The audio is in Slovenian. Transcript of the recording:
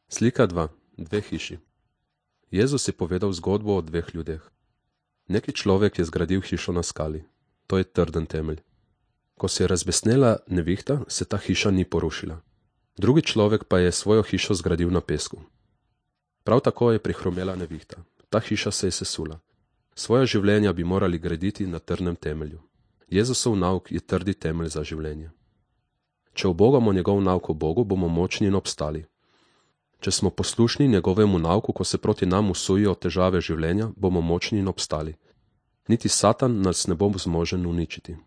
Slika 2. Dve hiši. Jezus je povedal zgodbo o dveh ljudeh. Neki človek je zgradil hišo na skali. To je trden temelj. Ko se je razbesnela nevihta, se ta hiša ni porušila. Drugi človek pa je svojo hišo zgradil na pesku. Prav tako je prihromela nevihta. Ta hiša se je sesula. Svoja življenja bi morali graditi na trdnem temelju. Jezusov nauk je trdi temelj za življenje. Če ubogamo njegov nauk o Bogu, bomo močni in obstali. Če smo poslušni njegovemu nauku, ko se proti nam usujijo težave življenja, bomo močni in obstali. Niti Satan nas ne bo zmožen uničiti.